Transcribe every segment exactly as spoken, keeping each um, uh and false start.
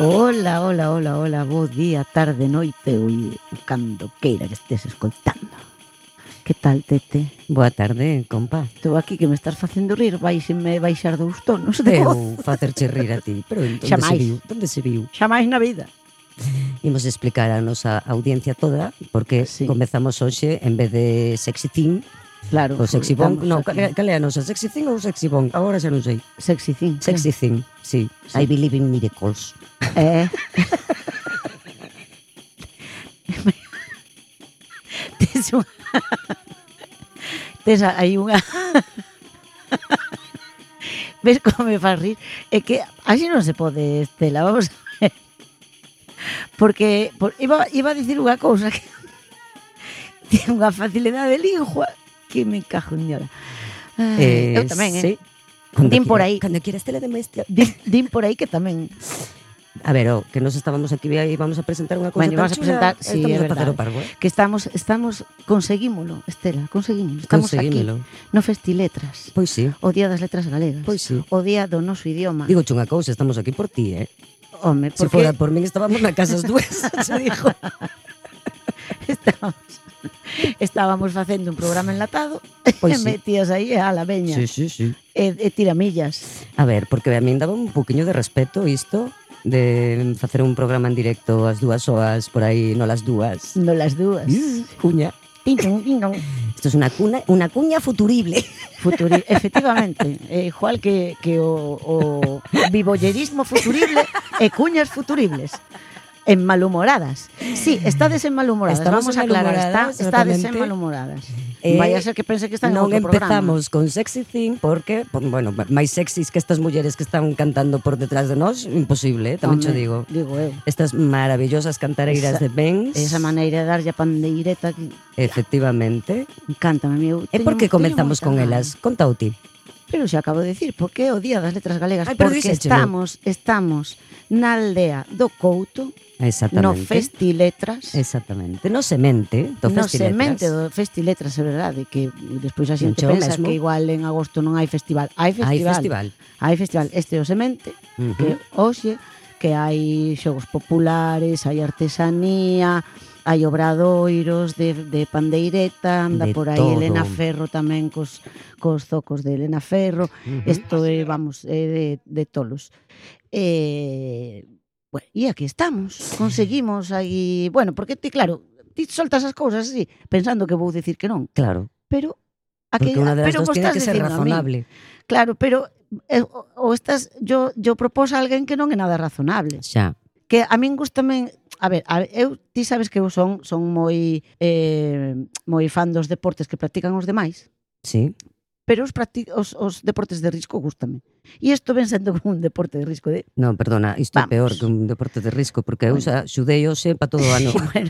Hola, hola, hola, hola, bo día, tarde, noite, oi, cando queira que estés escoitando. Que tal, Tete? Boa tarde, compa. Estou aquí que me estás facendo rir, vais-me baixar dous tonos de voz. Eu facerche rir a ti, pero onde se Xamais. viu? Onde se viu? Xa máis na vida. Imos explicar a nosa audiencia toda porque Sí. comezamos hoxe en vez de sexy thing, Claro. o sexy bomb, estamos no, aquí. cal, cal é a nosa? Sexy thing ou sexy bomb? Agora xa non sei. Sexy thing. Sexy thing, sí. Sí. I believe in miracles. Eh. Tes unha... Tes aí unha... Ves como me faz rir? É que así non se pode, Estela, vamos a ver. Porque por, iba, iba a dicir unha cousa que ten unha facilidade de lingua que me cajo en diora. Eh, Eu tamén, eh? sí. Cando Din por quira- aí. Cando quieras tele de bestia. Din, din por aí que tamén. A ver, oh, que nos estábamos aquí e vamos a presentar unha cousa Bueno, tan vamos a chula, presentar, sí, estamos é a facer verdade. o parvo, eh? Que estamos, estamos, conseguímolo, Estela, conseguímolo. Estamos Conseguímolo. aquí no Festiletras, Pois sí, o Día das Letras Galegas, pois sí. o Día do noso idioma. Digo unha cousa, estamos aquí por ti, eh? Home, Se porque fora por min estábamos na casa as dúas, se dijo. estábamos, estábamos facendo un programa enlatado e Pois sí. metías aí a la veña Sí, sí, sí. e, e tiramillas. A ver, porque a min daba un poquinho de respeto isto de facer un programa en directo ás dúas horas por aí, no las dúas. No las dúas. Cuña. Tiñón, tiñón. Isto es unha cuna, unha cuña futurible. Futuri, efectivamente, é igual que, que o, o vivollerismo futurible e cuñas futuribles. En malhumoradas. Sí, estades en malhumoradas. Estamos Vamos en a aclarar, está, malhumoradas, estades en exactamente. malhumoradas. Eh, Vaya a ser que pense que están en Non outro programa. empezamos con Sexy Thing porque, por- bueno, máis sexys que estas mulleres que están cantando por detrás de nós, imposible, eh, tamén cho Home, digo. Digo eu. Estas maravillosas cantareiras Esa- de Benz. Esa maneira de darlle a pandeireta que Efectivamente. encántame, meu. E por que comezamos con elas? Conta o ti. Pero xa acabo de decir, porque é o Día das Letras Galegas, Ai, pero porque díxéchelo. estamos, estamos na aldea do Couto, Exactamente. no Festiletras. Exactamente. No semente do No Festiletras. semente do Festiletras, é verdade, que despois a xente Non che o pensa mesmo. que igual en agosto non hai festival. Hai festival. Hai festival. Hai festival. Este é o semente, Ujú. que hoxe, que hai xogos populares, hai artesanía, hai obradoiros de, de pandeireta, anda De por aí todo. Elena Ferro tamén cos, cos zocos de Elena Ferro. Ujú. Isto é, vamos, é de, de tolos. E, bueno, e aquí estamos, conseguimos aí, bueno, porque ti, claro, ti soltas as cousas así, pensando que vou dicir que non, Claro. pero a que, Porque unha das pero dos vos tiene estás que ser dicindo a min. razonable. Claro, pero eh, o, o estás, yo, yo propós a alguén que non é nada razonable. Xa. Que a min gustame, a ver, a, eu, ti sabes que eu son, son moi, eh, moi fan dos deportes que practican os demais, Sí. pero os, practi os, os deportes de risco gustame. E isto ven sendo como un deporte de risco de... Non, perdona, isto é Vamos. peor que un deporte de risco, porque eu xa xudei hoxe para todo o ano. Bueno.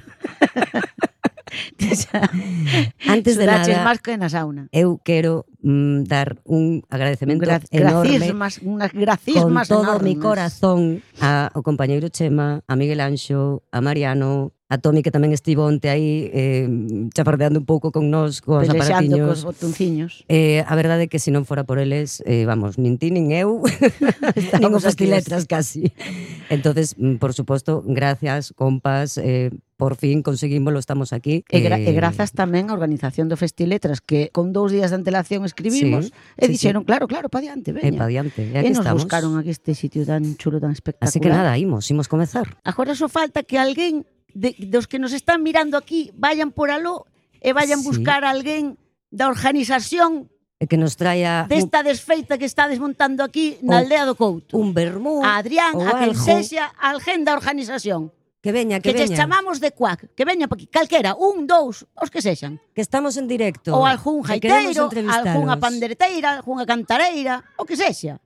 Antes de Sudaches nada, máis que na sauna. eu quero mm, dar un agradecemento Gra enorme gracismas, unas con gracismas todo o mi enormes. corazón a, ao compañeiro Chema, a Miguel Anxo, a Mariano, a Tomi que tamén estivo onte aí eh, chafardeando un pouco con nós, cos Pelexando cos aparatiños. botonciños. Eh, a verdade é que se non fora por eles, eh, vamos, nin ti nin eu, nin o Estamos aquí Festiletras casi. Entonces, mm, por suposto, gracias, compas, eh, por fin conseguímoslo, estamos aquí. E, gra eh, e grazas tamén á organización do Festiletras, que con dous días de antelación escribimos, Sí, e sí, dixeron, claro, claro, pa diante, E veña. pa diante, e E aquí nos estamos. buscaron aquí este sitio tan chulo, tan espectacular. Así que nada, imos, imos comezar. Agora só falta que alguén de, dos que nos están mirando aquí vayan por aló e vayan Sí. buscar a alguén da organización E que nos traia un, desta desfeita que está desmontando aquí na Un- aldea do Couto. un vermú, A Adrián, ou a quen algo. sexa, alguén da organización. Que veña, Que, que, lles veña. chamamos de cuac, que veña pa aquí, calquera, un, dous, os que sexan. Que estamos en directo. Ou algún que queremos jaiteiro, entrevistaros. algunha pandereteira, algunha cantareira, o que sexa.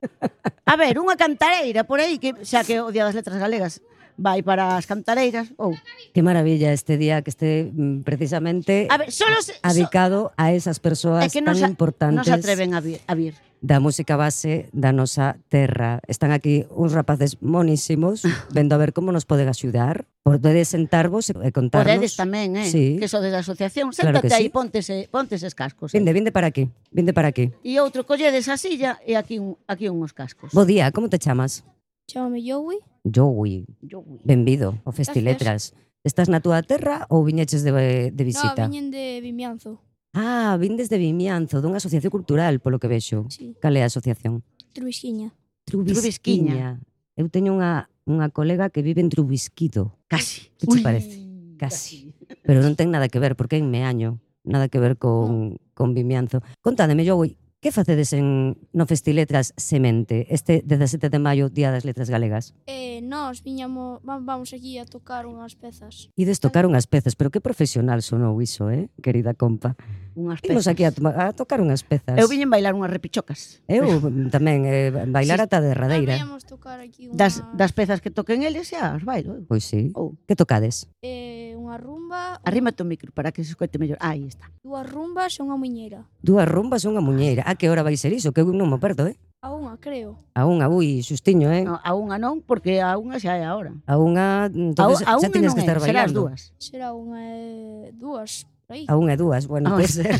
A ver, unha cantareira por aí, que xa que o Día das Letras Galegas vai para as cantareiras, ou... Que maravilla este día que este mm, precisamente A ver, solo se, so, adicado a esas persoas é que tan non se, importantes non se atreven a vir, a vir. da música base da nosa terra. Están aquí uns rapaces monísimos vendo a ver como nos poden axudar. Podedes sentarvos e contarnos. Podedes tamén, eh, Sí. que so da asociación. Claro Séntate que aí, sí. póntese, póntese os cascos. Eh. Vinde, vinde para aquí, vinde para aquí. E outro colledes a silla e aquí, un, aquí unhos cascos. Bo día, como te chamas? Chámame Joey. Joui, Joui. benvido ao Festiletras. Estás na túa terra ou viñeches de, de No, visita? viñen de Vimianzo. Ah, vindes de Vimianzo, dunha asociación cultural, polo que vexo. Sí. Cal é a asociación? Trubisquiña. Trubisquiña. Eu teño unha, unha colega que vive en Trubisquido. Casi. Que che parece? Casi. Pero non ten nada que ver, porque é en Meaño. Nada que ver con, con Vimianzo. Contádeme, Joui, que facedes en, no Festiletras Semente este dezasete de maio, Día das Letras Galegas? Eh, nós viñamos, va- vamos aquí a tocar unhas pezas. Ides tocar unhas pezas, pero que profesional sonou iso, eh, querida compa. Unhas Imos pezas. aquí a, toma- a tocar unhas pezas. Eu viñen bailar unhas repichocas. Eu tamén, eh, bailar Sí. ata Ah, derradeira. viñamos tocar aquí unhas, Das, das pezas que toquen eles xa as bailo. eu. Pois sí. Ou, Que tocades? eh, unha rumba, arrímate o micro para que se escoite mellor. Aí está. dúas rumbas e unha muñeira. Dúas rumbas e unha muñeira. A que hora vai ser iso? Que eu non me perdo, eh? A unha, creo. A unha, ui, xustiño, eh? No, a unha non, porque a unha xa é a hora. A unha, A, entonces a xa unha tienes non que estar é, será as bailando. dúas. Será unha e dúas, por aí. A unha e dúas, bueno, Ah, pode ser.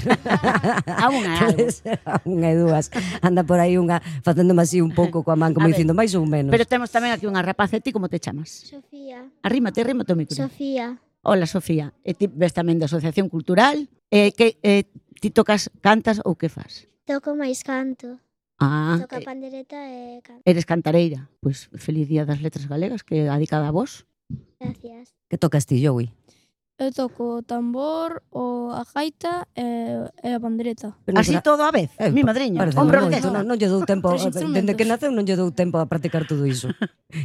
A unha é algo. Pode ser a unha e dúas. Anda por aí unha facéndome así un pouco coa man, como A ver, dicindo máis ou menos. Pero temos tamén aquí unha rapaza, e ti como te chamas? Sofía. Arrímate, arrímate o micro. Sofía. Hola, Sofía. E ti ves tamén da Asociación Cultural. E que eh, ti tocas, cantas ou que fas? Toco máis canto. Ah, Toco a eh, pandereta e canto. eres cantareira. Pois feliz Día das Letras Galegas, que é dedicada a vos. Gracias. Que tocas ti, Joey? Eu toco o tambor, o a gaita e, e a pandereta. Pero non Así será- todo a vez, Eh, mi pa- madriña. pareceme Hombre moito, orquesta. non, non lle dou tempo, Tres dende instrumentos. que naceu non lle dou tempo a practicar todo iso.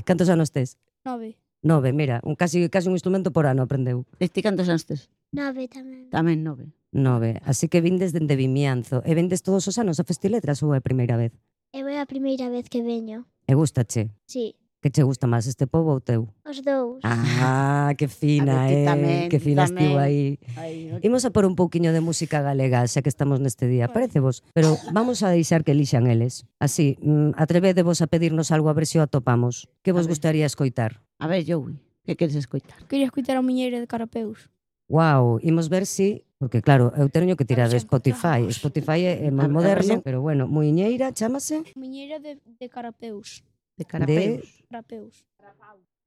Cantos anos tes? Nove. Nove, mira, un casi casi un instrumento por ano aprendeu. E ti cantos anos tes? Nove tamén. Tamén nove. Nove, así que vindes dende Vimianzo. E vendes todos os anos a Festiletras ou é a primeira vez? Eu é a primeira vez que veño. E gustache? Sí, Que che gusta máis, este pobo ou teu? os dous. Ah, que fina, A ver, ti eh, tamén, que ti fina tamén. estivo aí. Aí, Imos a por un pouquiño de música galega, xa que estamos neste día, Vale. parece vos? Pero vamos a deixar que elixan eles. Así, mm, atrevedevos a pedirnos algo a ver se o atopamos. Que vos A ver. gustaría escoitar? A ver, Joey, que queres escoitar? Quería escutar a muñeira de Carapeus. Wow, imos ver si, porque claro, eu teño que tirar A de ver se Spotify. encontramos. Spotify é, é A moi ver, a ver moderno, se- pero bueno, Muiñeira, chámase Muñeira de, de Carapeus. De Carapeus. Carapeus.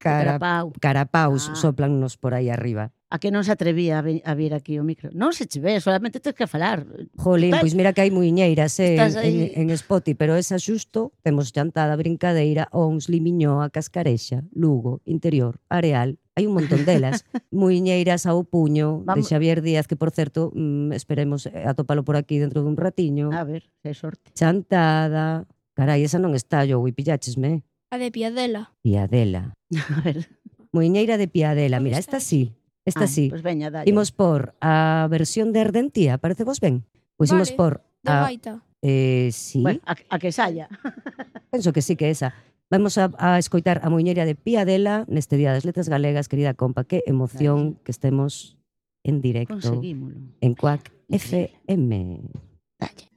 Cara, Carapau. Carapaus, Ah. soplannos por aí arriba. A que non se atrevía a, vi- a vir aquí o micro? Non se che ve, solamente tens que falar. Jolín, Estás- pois mira que hai muiñeiras eh, estás en, aí. en, en Spotify, pero esa xusto temos Chantada, Brincadeira, Ons, Limiñoa, Cascarexa, Lugo, Interior, Areal, hai un montón delas. Muiñeiras ao puño, Vamos- de Xavier Díaz, que por certo, mm, esperemos eh, atopalo por aquí dentro dun ratiño. A ver, se hai sorte. Chantada, carai, esa non está, yo, e pilláchesme. A de Piadela. Piadela. A ver. Muiñeira de Piadela, mira, esta sí, esta Ai, sí. Pois veña, dalle. Imos por a versión de Ardentía, parece vos ben? Pois imos Vale, por De a... gaita. Eh, sí, Bueno, a, a que saia. penso que sí que esa. Vamos a, a escoitar a Muiñeira de Piadela neste Día das Letras Galegas, querida compa, que emoción que estemos en directo Conseguímolo. en Cuac F M. Dalle.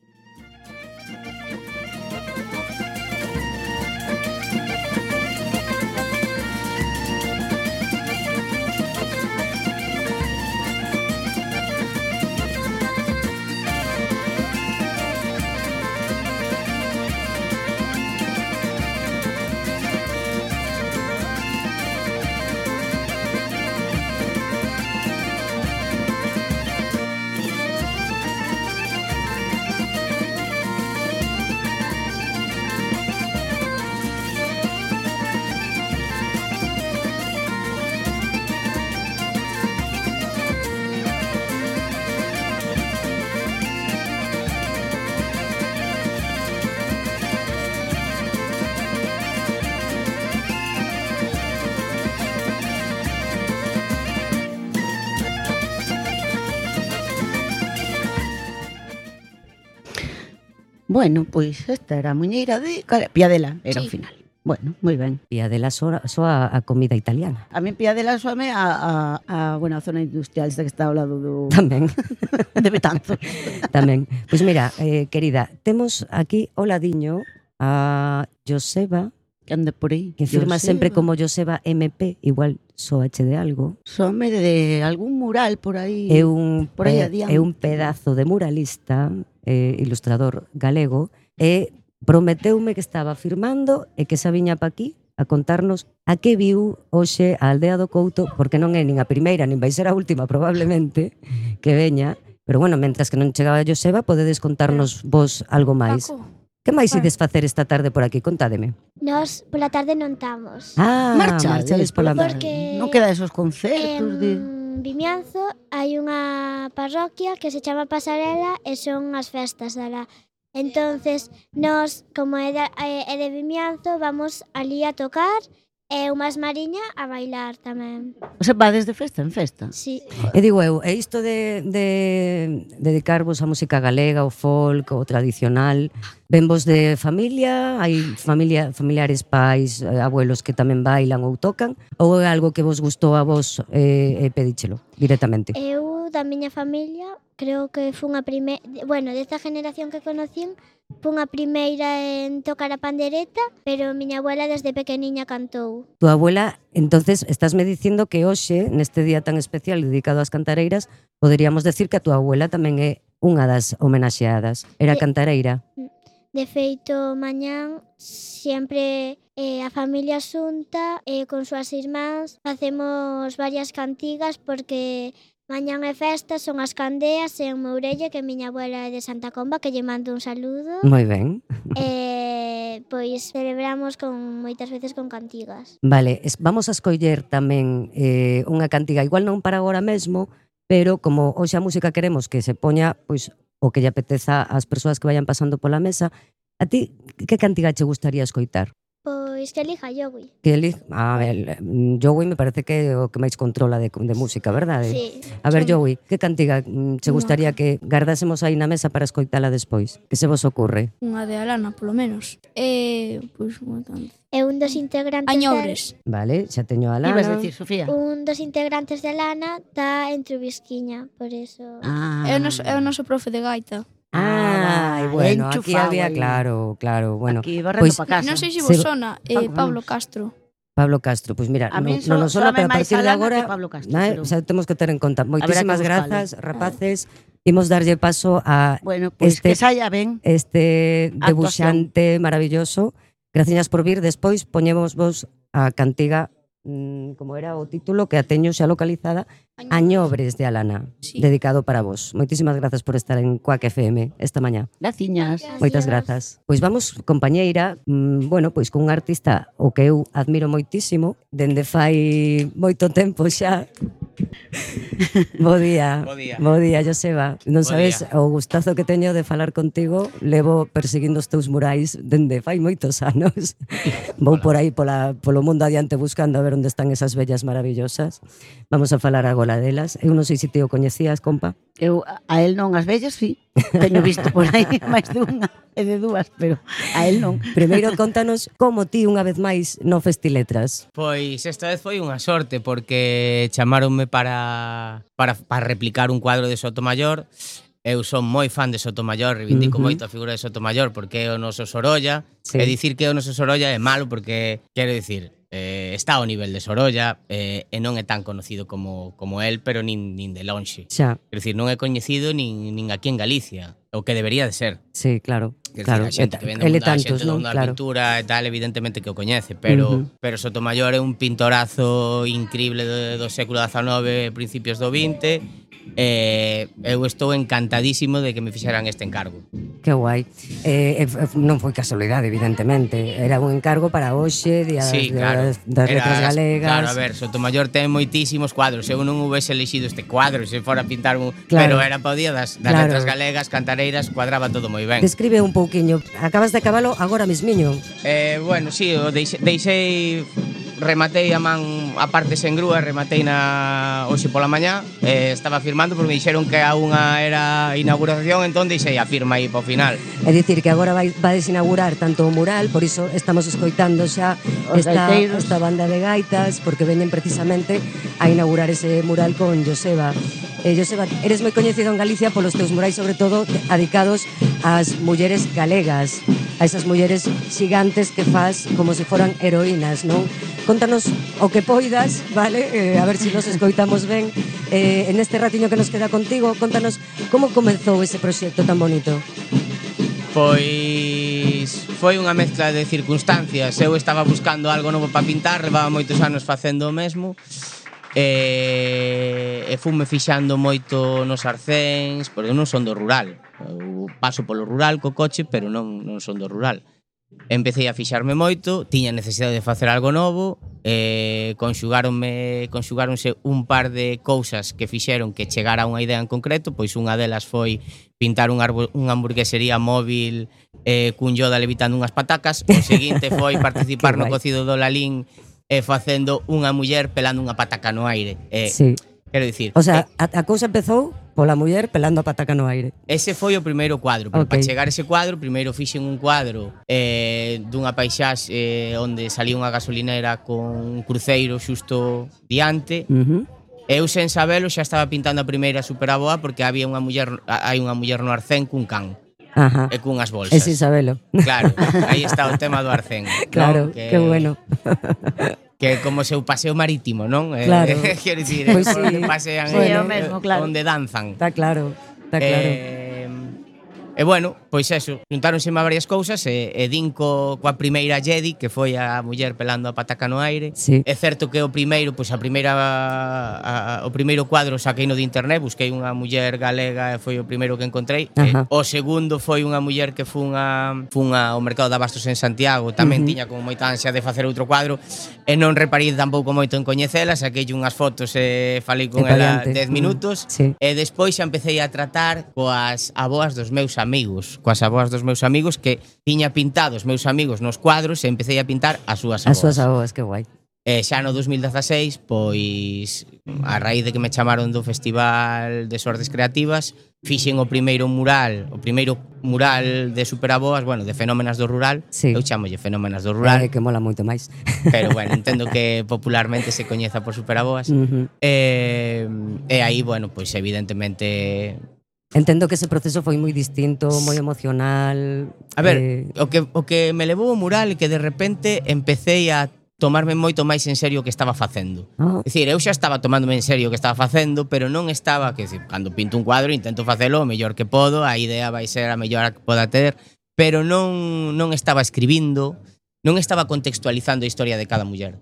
Bueno, pois esta era a muñeira de Cara- Piadela, era o Sí. final. Bueno, moi ben. Piadela soa, soa a comida italiana. A mí Piadela soame a, a, a, bueno, a zona industrial esta que está ao lado do Tamén, de Betanzos. tamén. Pois mira, eh, querida, temos aquí ao ladiño a Joseba, Que anda por aí. que firma Joseba. sempre como Joseba M P, igual soache de algo. Some de algún mural por aí. É un, Por aí pe- adiante. é un pedazo de muralista, eh, ilustrador galego, e prometeume que estaba firmando e que xa viña pa aquí a a contarnos a que viu hoxe a Aldea do Couto, porque non é nin a primeira, nin vai ser a última probablemente que veña, pero bueno, mentras que non chegaba a Joseba, podedes contarnos vos algo máis. Paco, Que máis Ah. ides facer esta tarde por aquí? Contádeme. Nós pola tarde non estamos. Ah, Marcha, marchades pola mar. Porque- Non queda esos concertos de... En Vimianzo hai unha parroquia que se chama Pasarela e son as festas dala. Entonces, nós, como é de, é é de Vimianzo, vamos ali a tocar e unhas mariña a bailar tamén. O sea, vades de festa en festa. Sí. E digo eu, e isto de, de dedicarvos á música galega, o folk, o tradicional, venvos de familia, hai familia, familiares, pais, eh, abuelos que tamén bailan ou tocan, ou é algo que vos gustou a vos e eh, eh, pedíchelo directamente? Eu, da miña familia, creo que fun a primeira... Bueno, desta generación que conocín, fun a primeira en tocar a pandereta, pero miña abuela desde pequeniña cantou. Tu abuela, entonces, estásme dicindo que hoxe, neste día tan especial dedicado ás cantareiras, poderíamos decir que a tua abuela tamén é unha das homenaxeadas. Era Eh, cantareira. De feito, mañán sempre eh, a familia xunta e eh, con súas irmáns facemos varias cantigas porque mañán é festa, son as candeas e en Mourelle, que miña abuela é de Santa Comba, que lle mando un saludo. Moi ben. E pois celebramos con moitas veces con cantigas. Vale, es, vamos a escoller tamén eh, unha cantiga, igual non para agora mesmo, pero como hoxe a música queremos que se poña pois o que lle apeteza ás persoas que vayan pasando pola mesa, a ti que cantiga che gustaría escoitar? Pois que elija Yogui. Que eli... A ver, mm, Joey me parece que é o que máis controla de, de música, verdade? Sí. A ver, Son- Joey, que cantiga mm, che gustaría que gardásemos aí na mesa para escoitala despois? Que se vos ocurre? Unha de Alana, polo menos. E, pois, unha canción. É un dos integrantes Añobres. Vale, xa teño a Que ibas a Lana. decir, Sofía? de, un dos integrantes de Lana está en Trubisquiña, por eso. Ah. É o noso, é o noso profe de gaita. Ah, Ah, bueno, aquí enchufado había, aí. claro, claro, bueno. Aquí barrendo Pois- pa casa. Non sei se Se- vos sona, eh, Paco, Pablo vamos. Castro. Pablo Castro, pois mira, A non, min non nos so- sona, sóame pero a máis partir de Alana agora, que Pablo Castro, né, pero- xa temos que ter en conta. Moitísimas buscalo. grazas, rapaces. Imos darlle paso a Bueno, pois Este- que saia ben. este Actuación. debuxante maravilloso. Graciñas por vir. Despois poñemos vos a cantiga, mm, como era o título, que a teño xa localizada, Añobres de Alana, Sí. dedicado para vos. Moitísimas grazas por estar en Quack F M esta mañá. Graciñas. Moitas grazas. Pois vamos, compañeira, mm, bueno, pois cun artista o que eu admiro moitísimo, dende fai moito tempo xa. Bo día. Bo día. Bo día, Joseba. Non Bo sabes día. o gustazo que teño de falar contigo. Levo perseguindo os teus murais dende fai moitos anos. Vou por aí pola, polo mundo adiante buscando a ver onde están esas bellas maravillosas. Vamos a falar agora delas. Eu non sei se te o coñecías, compa. Eu a él non, as vellas, sí. Teño visto por aí máis de unha e de dúas, pero a él non. Primeiro contanos como ti unha vez máis no Festiletras. Pois esta vez foi unha sorte porque chamaronme para, para, para replicar un cuadro de Sotomayor. Eu son moi fan de Sotomayor, reivindico Ujú. moito a figura de Sotomayor porque é o noso Sorolla. Sí. E dicir que é o noso Sorolla é malo porque, quero dicir, eh, está ao nivel de Sorolla eh, e non é tan conocido como, como el, pero nin, nin de lonxe. Xa, Quero dicir, non é coñecido nin, nin aquí en Galicia, o que debería de ser. sí, claro. Quer Claro, decir, a xente que vende ele mundo, a tantos, xente do non? mundo da Claro. pintura e tal, evidentemente que o coñece, pero, Ujú. pero Sotomayor é un pintorazo increíble do, do século dezanove, principios do vinte, e eu estou encantadísimo de que me fixeran este encargo. Que guai. Eh, eh, non foi casualidade, evidentemente. Era un encargo para hoxe, Día Sí, das, claro. das Era- letras galegas. Claro, a ver, Sotomayor ten moitísimos cuadros. Eu non houvese elixido este cuadro se fora a pintar un... Claro. Pero era para o día das, das Claro. letras galegas, cantareiras, cuadraba todo moi ben. Describe un pouquiño. Acabas de acabalo agora mismiño. Eh, bueno, sí, o deixei, deixei rematei a man a parte sen grúa, rematei na hoxe pola mañá, eh, estaba firmando porque me dixeron que a unha era a inauguración, entón deixei a firma aí para o final. É dicir que agora vai, vades inaugurar tanto o mural, por iso estamos escoitando xa Os esta, gaiteiros. esta banda de gaitas, porque veñen precisamente a inaugurar ese mural con Joseba. Eh, Joseba, eres moi coñecido en Galicia polos teus murais, sobre todo dedicados ás mulleres galegas, a esas mulleres xigantes que fas como se foran heroínas, non? Contanos o que poidas, vale? Eh, a ver se si nos escoitamos ben. Eh, en este ratiño que nos queda contigo, contanos como comezou ese proxecto tan bonito. Pois Pois foi unha mezcla de circunstancias. Eu estaba buscando algo novo para pintar, levaba moitos anos facendo o mesmo. E, e fume fixando moito nos arcéns, porque eu non son do rural. Eu paso polo rural co coche, pero non, non son do rural. Empecé a fixarme moito, tiña necesidade de facer algo novo, e conxugáronme, conxugáronse un par de cousas que fixeron que chegara a unha idea en concreto. Pois unha delas foi pintar unha, unha hamburguesería móvil eh, cun Yoda levitando unhas patacas. O seguinte foi participar no cocido do Lalín e facendo unha muller pelando unha pataca no aire. Eh, Sí. Quero dicir, O sea, eh, a, a cousa empezou pola muller pelando a pataca no aire. ese foi o primeiro cuadro, pero Ok. para chegar a ese cuadro, primeiro fixen un cuadro eh, dunha paisaxe eh, onde salía unha gasolinera con un cruceiro xusto diante. Uh-huh. Eu sen sabelo xa estaba pintando a primeira superaboa porque había unha muller, hai unha muller no arcén cun can Ajá. e cunhas bolsas. E sin sabelo. Claro, aí está o tema do arcén. Claro, ¿no? que bueno. Que como seu paseo marítimo, non? Claro. Eh, quero dicir, Pois por sí. onde pasean, Sí, eh, o mesmo, claro. onde danzan. Está claro, está claro. Eh, e bueno, pois eso, juntáronse varias cousas e, e din co, coa primeira Jedi, que foi a muller pelando a pataca no aire. Sí. É certo que o primeiro, pois a primeira a, a, o primeiro cuadro saquei no de internet, busquei unha muller galega e foi o primeiro que encontrei. E, Ajá. o segundo foi unha muller que fun a fun ao mercado de abastos en Santiago, tamén Uh-huh. tiña como moita ansia de facer outro cuadro e non reparei tampouco moito en coñecela, saquei unhas fotos e falei con E pa ela diante. dez minutos. Sí. E despois xa empecé a tratar coas aboas dos meus amigos, coas aboas dos meus amigos que tiña pintado os meus amigos nos cuadros e empecé a pintar as súas aboas. As súas aboas, que guai. E xa no dos mil dezaseis, pois a raíz de que me chamaron do Festival de Sortes Creativas, fixen o primeiro mural, o primeiro mural de superaboas, bueno, de fenómenas do rural. Sí. Eu chamolle fenómenas do Rural. rural, Que mola moito máis. pero bueno, entendo que popularmente se coñeza por superaboas. Uh-huh. E, e aí, bueno, pois evidentemente Entendo que ese proceso foi moi distinto, moi emocional. A ver, eh, o que o que me levou o mural é que de repente empecé a tomarme moito máis en serio o que estaba facendo. oh, É dicir, eu xa estaba tomándome en serio o que estaba facendo, pero non estaba, que decir, cando pinto un cuadro intento facelo o mellor que podo, a idea vai ser a mellor que poda ter, pero non non estaba escribindo, non estaba contextualizando a historia de cada muller.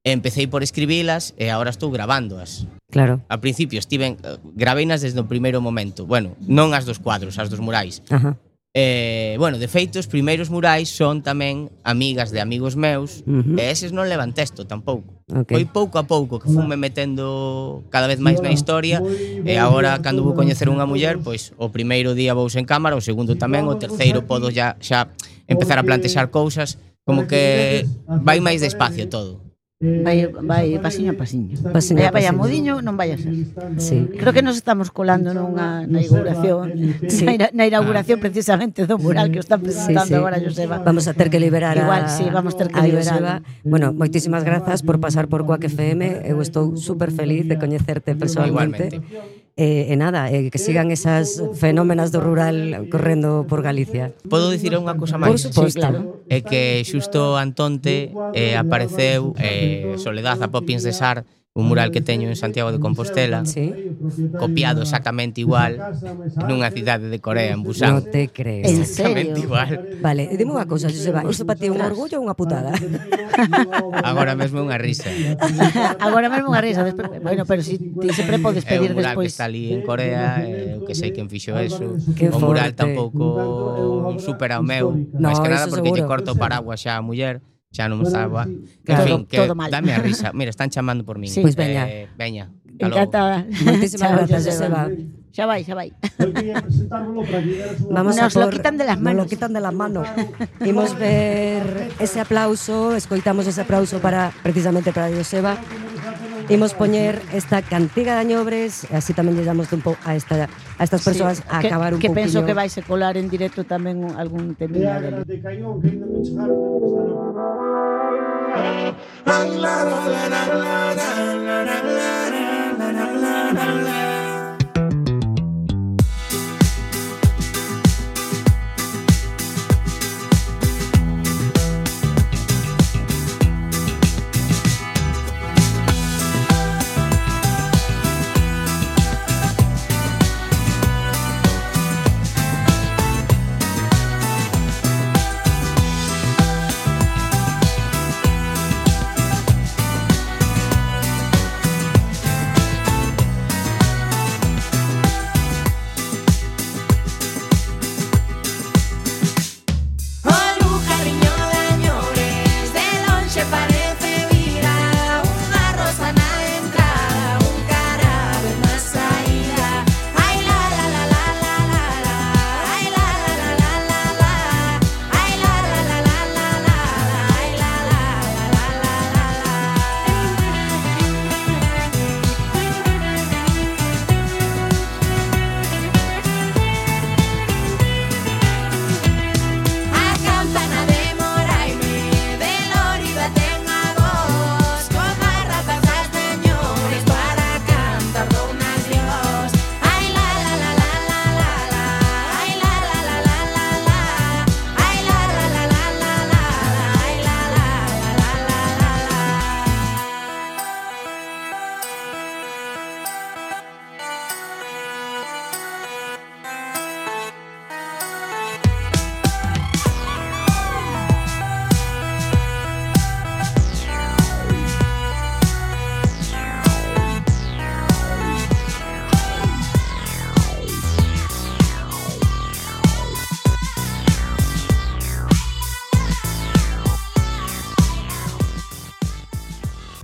Empecé por escribilas e agora estou grabándoas. claro. Al principio estiven gravéinas desde o primeiro momento. Bueno, non as dos cuadros, as dos murais. Ajá. Eh, bueno, de feito, os primeiros murais son tamén amigas de amigos meus, Uh-huh. e eses non levan texto tampouco. Ok. Foi pouco a pouco que funme metendo cada vez máis na historia, e agora cando vou coñecer unha muller, pois o primeiro día vou en cámara, o segundo tamén, o terceiro podo ya xa empezar a plantexar cousas, como que vai máis despacio todo. Vai, vai pasiño a pasiño. Pasiño a Vaya, vaya pasiño. mudiño, non vai a ser. Sí. Creo que nos estamos colando nunha na inauguración, Sí. na, ina- na inauguración precisamente do mural que o está presentando Sí, sí. agora Joseba. Vamos a ter que liberar Igual, a, sí, vamos ter que a liberar. Joseba. Bueno, moitísimas grazas por pasar por Quack F M. Eu estou super feliz de coñecerte personalmente. Igualmente. E, e nada, e que sigan esas fenómenas do rural correndo por Galicia. Podo dicir unha cousa Por máis? suposto. Sí, claro. É que xusto Antonte eh, apareceu eh, Soledad a Poppins de Sar, un mural que teño en Santiago de Compostela, Sí. copiado exactamente igual nunha cidade de Corea, en Non Busan. te crees. En Exactamente serio? igual. Vale, e dime unha cousa, Joseba, isto para ti é un orgullo ou unha putada? Agora mesmo é unha risa. Agora mesmo unha risa, despois, bueno, pero si ti sempre podes É pedir un mural que despois. está ali en Corea, eh, eu que sei quen fixo eso. Que O mural forte. tampouco supera o meu, No, máis que nada eso porque lle seguro. corto o paraguas xa a muller, xa non estaba. En Claro. fin, que Todo mal. dame a risa. Mira, están chamando por min. Sí. Pois veña. Eh, veña. Hasta logo. Encantada. Moitísimas Chao, grazas, Joseba. Xa vai, xa vai. Vamos Nos a lo por, quitan de las Nos manos. lo quitan de las manos. Imos ver ese aplauso, escoitamos ese aplauso para precisamente para Joseba. Imos poñer esta cantiga de añobres, e así tamén lle damos un pouco a esta a estas persoas a que, acabar un que pouquinho. penso que vais a colar en directo tamén un- algún temilla dele. de Cañón, que ainda non chegaron.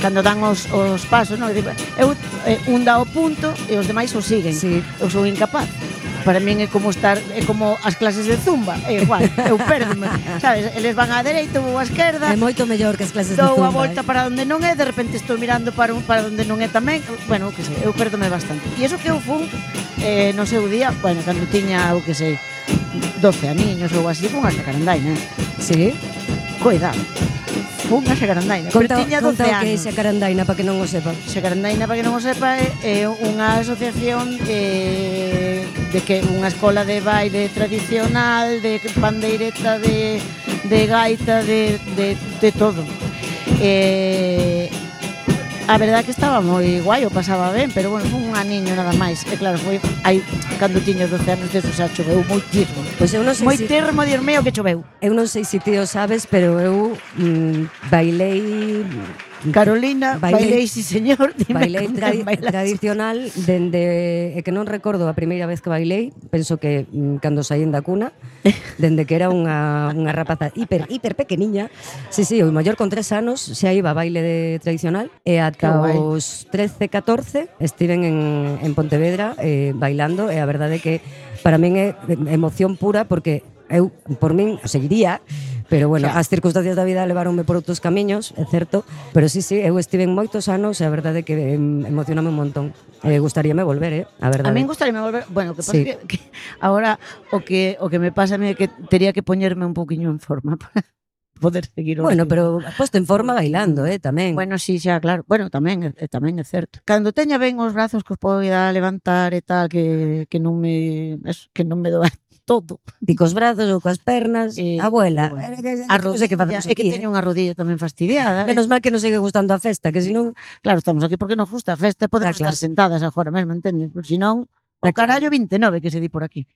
cando dan os, os pasos, non? Eu, eh, un dá o punto e os demais o siguen. Sí. Eu sou incapaz. Para min é como estar, é como as clases de zumba, é igual, eu perdome, sabes? Eles van á dereita, vou á esquerda. É moito mellor que as clases de Dou zumba. a volta eh. para onde non é, de repente estou mirando para un para onde non é tamén. Bueno, que sei, eu perdome bastante. E iso que eu fun eh, no seu día, bueno, cando tiña, eu que sei, doce aniños ou así, fun a Xacarandaina. Sí. Cuidado. Fun a Xacarandaina, Conta, pero tiña doce conta o que é anos. Xacarandaina para que non o sepa. Xacarandaina, para que non o sepa, é, é unha asociación eh, de que unha escola de baile tradicional, de pandeireta, de, de gaita, de, de, de todo. Eh, a verdade que estaba moi guai, o pasaba ben, pero bueno, fun un aniño nada máis. E claro, foi aí cando tiño doce anos, de eso xa choveu moitísimo. Pois eu non sei se Moitísimo, Dios mío, que choveu. eu non sei se ti o sabes, pero eu mm, bailei Carolina, Bailei- bailei, sí señor, dime bailei con tradi quen bailaste. tradicional dende é que non recordo a primeira vez que bailei, penso que mm, cando saín da cuna, dende que era unha unha rapaza hiper hiper pequeniña. Sí, sí, o maior con tres anos xa iba a baile de tradicional e ata Que guai. os trece, catorce estiven en en Pontevedra eh, bailando e a verdade é que para min é emoción pura porque eu por min seguiría. Pero bueno, Xa. as circunstancias da vida levaronme por outros camiños, é certo, pero sí, sí, eu estive en moitos anos e a verdade é que em, emocioname un montón. Eh, gustaríame volver, eh, a verdade. A min gustaríame volver, bueno, que pasa Sí. que, que agora o que o que me pasa é que tería que poñerme un poquiño en forma para poder seguir o Bueno, ritmo. pero posto en forma bailando, eh, tamén. Bueno, sí, xa, claro. Bueno, tamén, é- tamén é certo. Cando teña ben os brazos que os poida levantar e tal, que, que non me eso, que non me doa todo. Ti cos brazos ou coas pernas, Eh, abuela. bueno. eh, eh, A non sei que rodilla, facemos é que aquí, teño eh. unha rodilla tamén fastidiada. Menos mal que nos sigue gustando a festa, que senón Claro, estamos aquí porque nos gusta a festa, podemos Ah, claro. estar sentadas agora mesmo, entendes? Porque senón, o Ah, claro. carallo vinte e nove que se di por aquí.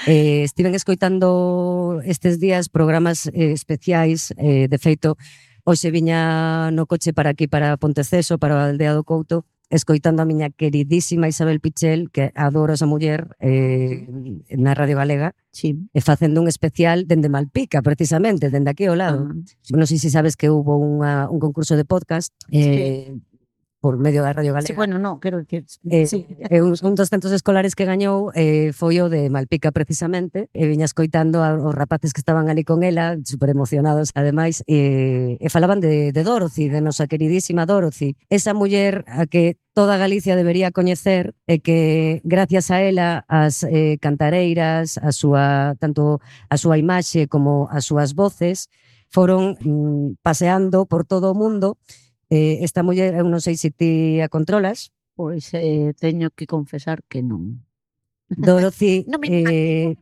Eh, estiven escoitando estes días programas eh, especiais, eh, de feito, hoxe viña no coche para aquí, para Ponteceso, para a Aldea do Couto, escoitando a miña queridísima Isabel Pichel, que adoro esa muller, eh, na Radio Galega, Sí. e facendo un especial dende Malpica, precisamente, dende aquí ao lado. Ah, Non sei se sabes que hubo unha, un concurso de podcast eh, por medio da Radio Galega. sí, bueno, no, quero dicir, Eh, sí. E un, un dos centros escolares que gañou eh, foi o de Malpica precisamente, e viña escoitando a, os rapaces que estaban ali con ela, super emocionados ademais, e, e falaban de, de Dorothy, de nosa queridísima Dorothy, esa muller a que toda Galicia debería coñecer e que gracias a ela as eh, cantareiras, a súa, tanto a súa imaxe como as súas voces foron mm, paseando por todo o mundo. Eh, esta muller, eu non sei se ti a controlas, Pois eh, teño que confesar que non. Dorothy, Non me eh,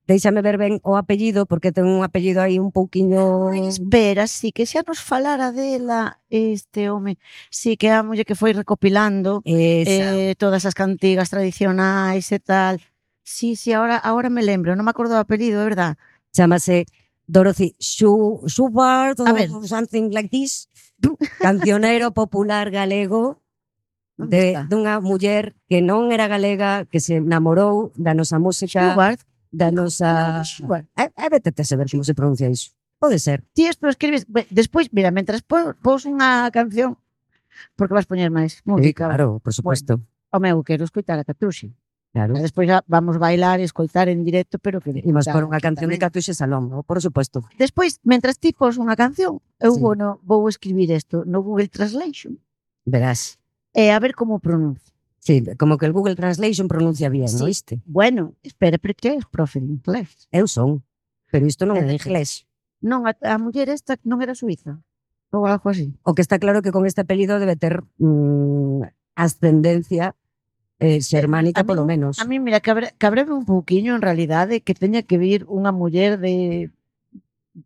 déixame ver ben o apellido, porque ten un apellido aí un pouquiño... Espera, sí, que xa nos falara dela este home. Sí, que é a muller que foi recopilando Esa. eh, todas as cantigas tradicionais e tal. Sí, sí, ahora, ahora me lembro, non me acordo do apelido, é verdad. Chámase Dorothy Schu- Schubert A ver. ou something like this. Cancionero popular galego Onde de, está? dunha muller que non era galega, que se namorou da nosa música, Schubert. da nosa... Schubert. É, é vetete a saber como se pronuncia iso. Pode ser. Ti isto escribes, be- despois, mira, mentras po- pos unha canción, porque vas poñer máis Sí, música. claro, por supuesto. O meu, quero escoitar a Catuxi. Claro. E despois já vamos bailar e escoitar en directo, pero que... Imos claro, por unha canción de tamén. Catuxe Salón, ¿no? Por supuesto. Despois, mentras ti pos unha canción, eu Sí. vou, no, vou escribir isto no Google Translation Verás. e a ver como pronuncia. Sí, como que el Google Translation pronuncia bien, Sí. ¿no viste? Bueno, espera, pero que és profe de inglés. Eu son, pero isto non é É de de inglés. Non, a, a muller esta non era suiza. Ou algo así. O que está claro que con este apelido debe ter mm, ascendencia eh, xermánica, A mí- polo menos. A mí, mira, cabre, cabreme un pouquiño en realidade que teña que vir unha muller de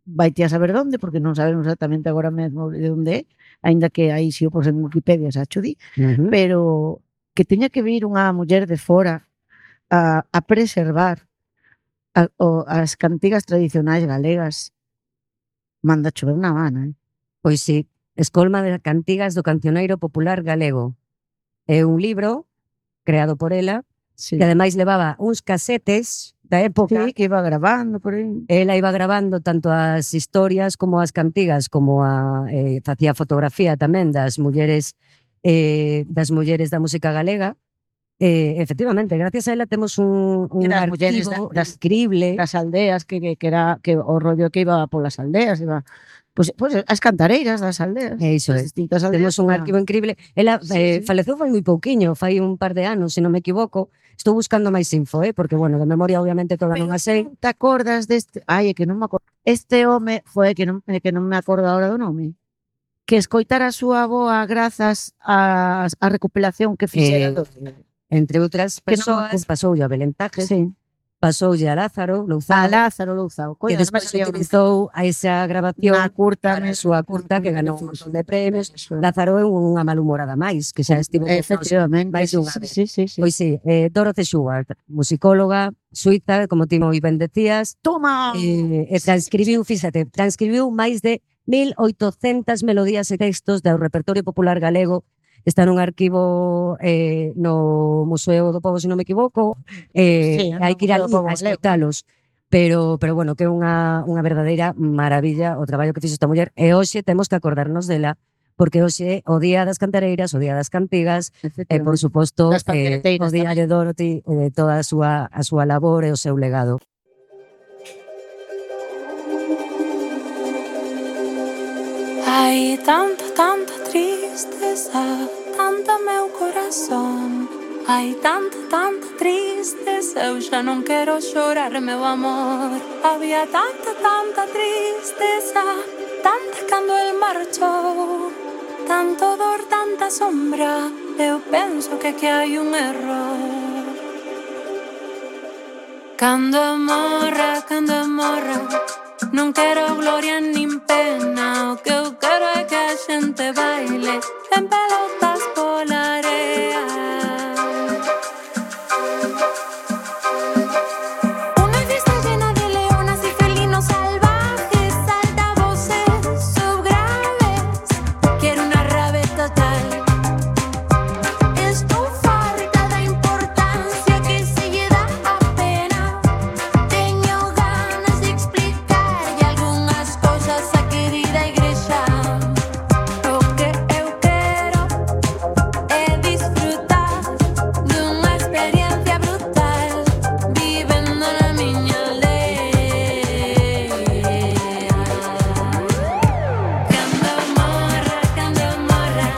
vai ti a saber onde, porque non sabemos exactamente agora mesmo de onde é, aínda que aí si o pos en Wikipedia xa cho di, Uh -huh. pero que teña que vir unha muller de fora a, a preservar a, o, as cantigas tradicionais galegas, manda chover na mana, eh? Pois sí, Escolma de Cantigas do Cancioneiro Popular Galego. É un libro creado por ela, Sí. que ademais levaba uns casetes da época. Sí, que iba grabando por aí. Ela iba grabando tanto as historias como as cantigas, como a, eh, facía fotografía tamén das mulleres eh, das mulleres da música galega. Eh, efectivamente, gracias a ela temos un, un Das mulleres arquivo da- das- increíble. Das aldeas, que, que, que era que o rollo que iba polas aldeas, iba pues, pues as cantareiras das aldeas. E iso das é. distintas aldeas. Temos un iba- arquivo increíble. Ela Sí, eh, sí. faleceu fai moi pouquiño, fai un par de anos, se non me equivoco. Estou buscando máis info, eh, porque, bueno, de memoria obviamente toda non a sei. Te acordas deste? Ai, é que non me acordo. Este home foi que non é que non me acordo agora do nome. Que escoitara a súa avoa grazas á a recopilación que fixera. Eh, do- Entre outras Que non me persoas, acordo. pasoulle a Belén Tajes, Sí. pasoulle a Lázaro Louzao, A Lázaro Louzao. que despois utilizou a esa grabación na curta, para a súa curta que ganou un montón de premios. Lázaro é unha malhumorada máis, que xa estivo con nós. Efectivamente. máis dunha sí, vez. sí, sí, sí. Pois sí, eh, Dorothy Schubert, musicóloga suiza, como ti moi ben decías, Toma. eh, e transcribiu, fíxate, transcribiu máis de mil oitocentas melodías e textos do repertorio popular galego. Está nun arquivo eh, no Museo do Pobo, se non me equivoco. Eh, Sí, no hai que ir Museo ali do Pobo a galego. escoitalos. Pero, pero bueno, que é unha, unha verdadeira maravilla o traballo que fixo esta muller. E hoxe temos que acordarnos dela, porque hoxe é o Día das Cantareiras, o Día das Cantigas, e por suposto Das eh, pandereteiras o Día de Dorothy e de toda a súa, a súa labor e o seu legado. Hai tanta, tanta tristeza, tanta meu corazón. Hai tanta, tanta tristeza, eu xa non quero xorar, meu amor. Había tanta, tanta tristeza, tanta cando el marchou. Tanto dor, tanta sombra, eu penso que que hai un error. Cando morra, cando morra, non quero gloria nin pena. O que eu quero é que a xente baile en pelotas pola area. Unha fiesta llena de leonas y felinos salvajes, altavoces subgraves. Quiero una rave total. Estou farta da importancia que se lle dá a pena. Teño ganas de explicarlle algunhas cousas á querida igrexa. O que eu quero é disfrutar dunha experiencia brutal, vivendo na miña aldea. Cando morra, cando morra,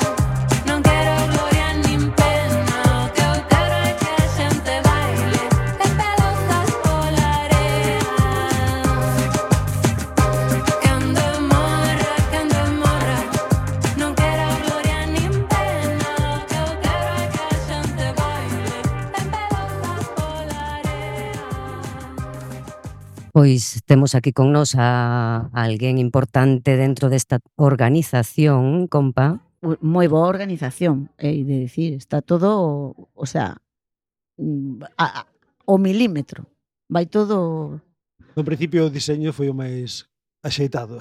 non quero gloria nin pena. O que eu quero é que a xente baile en pelotas pola area. Cando morra, cando morra, non quero gloria nin pena. O que eu quero é que a xente baile en pelotas pola area. Pois temos aquí con nos a, a alguén importante dentro desta organización, compa. Moi boa organización, hei de dicir, está todo, o sea, mm, a, a, o milímetro. Vai todo. No principio o diseño foi o máis axeitado.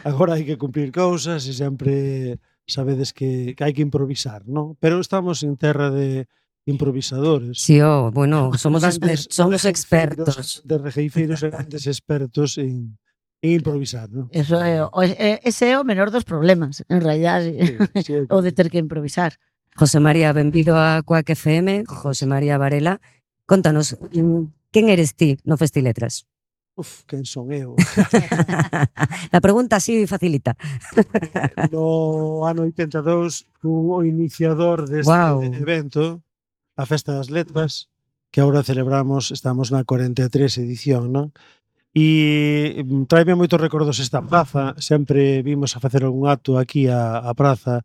Agora hai que cumprir cousas e sempre sabedes que, que hai que improvisar, non? Pero estamos en terra de improvisadores. Si, oh, bueno, somos, Grandes- exper somos de expertos. rejeifeiros- De rejeifeiros e grandes expertos en, en improvisar, non? Eso é, o- é- ese é o menor dos problemas, en realidad, Sí, sí, é o de ter que improvisar. José María, benvido a Cuac F M, José María Varela. Contanos, mm, quen eres ti no Festiletras? Uf, quen son eu? La pregunta así facilita. No ano oitenta e dous fui o iniciador deste Guau. evento, a Festa das Letras, que agora celebramos, estamos na cuarenta e tres edición, non? E mm, traime moitos recordos esta praza, sempre vimos a facer algún acto aquí a, a praza,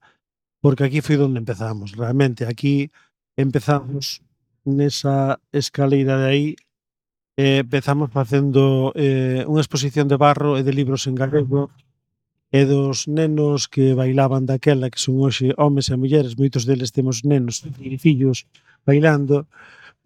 porque aquí foi onde empezamos, realmente, aquí empezamos nesa escaleira de aí, eh, empezamos facendo eh, unha exposición de barro e de libros en galego, e dos nenos que bailaban daquela, que son hoxe homes e mulleres, moitos deles temos nenos e fillos bailando,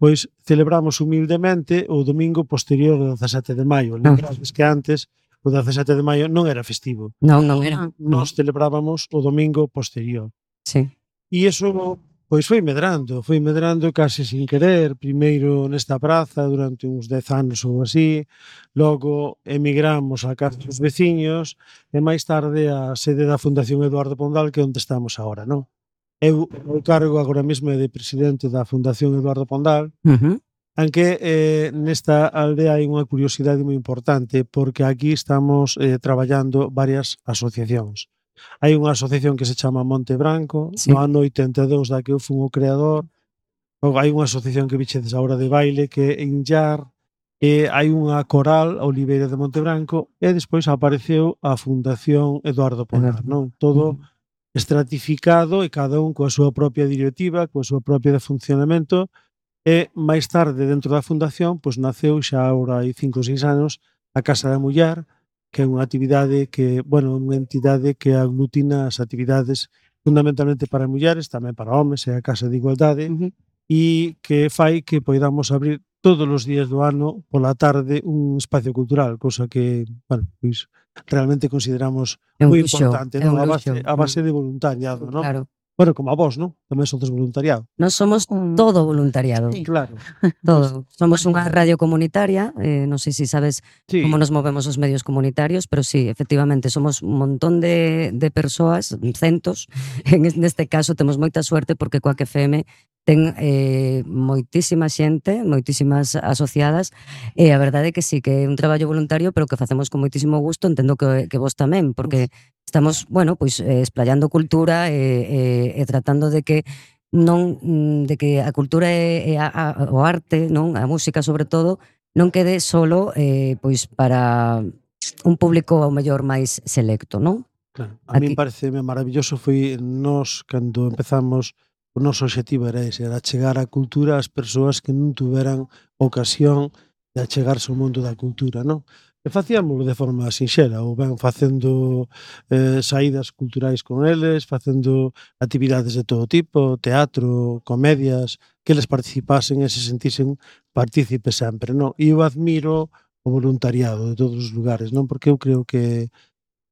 pois celebramos humildemente o domingo posterior ao dezasete de maio. Lembrades que antes o dezasete de maio non era festivo. Non, non era. Nos celebrábamos o domingo posterior. Sí. E iso Pois foi medrando, foi medrando case sin querer, primeiro nesta praza durante uns dez anos ou así, logo emigramos a casa dos veciños e máis tarde a sede da Fundación Eduardo Pondal, que é onde estamos agora, non? Eu o cargo agora mesmo é de presidente da Fundación Eduardo Pondal, Uh -huh. aunque eh, nesta aldea hai unha curiosidade moi importante porque aquí estamos eh, traballando varias asociacións. Hai unha asociación que se chama Monte Branco, Sí. no ano oitenta e dous da que eu fun o creador. Logo, hai unha asociación que vichedes agora de baile que é Inllar, e hai unha coral, a Oliveira de Monte Branco, e despois apareceu a Fundación Eduardo Pondal, non? Todo estratificado e cada un coa súa propia directiva, coa súa propia de funcionamento, e máis tarde dentro da fundación, pois naceu xa agora hai cinco ou seis anos a Casa da Muller, que é unha actividade que, bueno, unha entidade que aglutina as actividades fundamentalmente para mulleres, tamén para homes, é a Casa de Igualdade, Uh -huh. e que fai que poidamos abrir todos os días do ano pola tarde un espacio cultural, cousa que, bueno, pois realmente consideramos É un moi luxo, importante, é non? un A base, luxo. a base de voluntariado, non? Claro. Bueno, como a vos, non? Tamén sodes voluntariado. Nós somos Un- todo voluntariado. Sí. Claro. Todo. Somos unha radio comunitaria, eh, non sei se sabes Sí. como nos movemos os medios comunitarios, pero sí, efectivamente, somos un montón de, de persoas, centos. En es- neste caso temos moita suerte porque Coac F M ten eh, moitísima xente, moitísimas asociadas, e a verdade é que sí, que é un traballo voluntario, pero que facemos con moitísimo gusto, entendo que, que vos tamén, porque estamos, bueno, pois eh, esplayando cultura e, e, e tratando de que non mm, de que a cultura e, e a, a, o arte, non, a música sobre todo, non quede solo eh, pois para un público ao mellor máis selecto, non? Claro. A Aquí- min pareceme maravilloso foi nós cando empezamos o noso obxectivo era ese, era chegar a cultura ás persoas que non tuveran ocasión de achegarse ao mundo da cultura, non? E facíamoslo de forma sinxela, ou ben facendo eh, saídas culturais con eles, facendo actividades de todo tipo, teatro, comedias, que eles participasen e se sentisen partícipes sempre, non? E eu admiro o voluntariado de todos os lugares, non? Porque eu creo que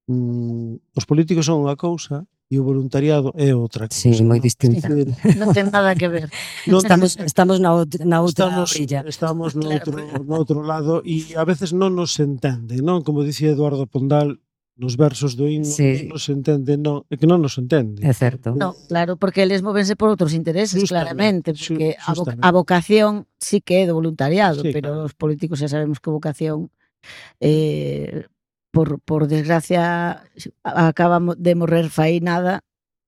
mm, os políticos son unha cousa e o voluntariado é outra cousa. Sí, moi non? distinta. É dicir, Non ten nada que ver. non Estamos, estamos na, out- na outra estamos, orilla. estamos no, Claro. outro, no outro lado e a veces non nos entende, non? Como dicía Eduardo Pondal nos versos do himno, Sí. non nos entende, non, é que non nos entende. É certo. No, claro, porque eles móvense por outros intereses, Justamente, claramente, xu- porque a, vo justamente. a vocación sí que é do voluntariado, Sí, pero claro. os políticos xa sabemos que vocación eh, por, por desgracia acaba mo- de morrer fai nada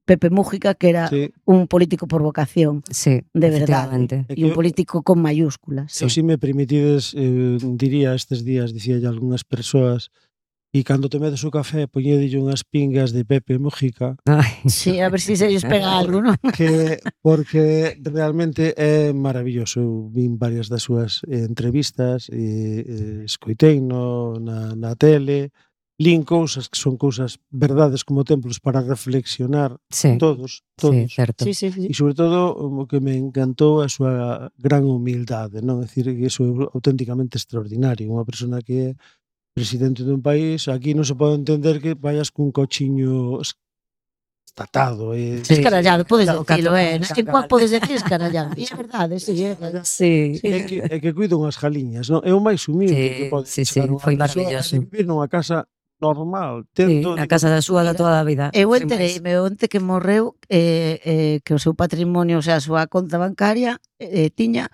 Pepe Mújica, que era Sí, un político por vocación, Sí, de verdade. efectivamente. é E un que político con mayúsculas. eu, si me permitides, eh, diría estes días, dicía algunhas persoas, e cando tomedes o café poñedelle unhas pingas de Pepe Mújica, Ai, Sí, a ver se si se lles pega algo, non? que porque realmente é maravilloso. Eu vin varias das súas eh, entrevistas e eh, escoitei no, na, na tele, lín cousas que son cousas verdades como templos para reflexionar sí, todos, sí, todos. certo. Sí, sí, sí. E sobre todo o que me encantou a súa gran humildade, non? É dicir, que iso é auténticamente extraordinario. Unha persona que é presidente dun país, aquí non se pode entender que vayas cun cochiño es- estatado. E, Sí. Escarallado, podes Claro, decilo, cato- eh? En cual podes decir escarallado? E é verdade, sí, é verdade. Sí, É que, é que cuido unhas galiñas, non? É o máis humilde Sí, que pode sí, chegar sí, unha foi persoa maravilloso. de vivir nunha casa normal, sí, tendo a casa da súa da toda a vida. Eu Sin máis. entereime onte que morreu eh, eh, que o seu patrimonio, o sea, a súa conta bancaria eh, tiña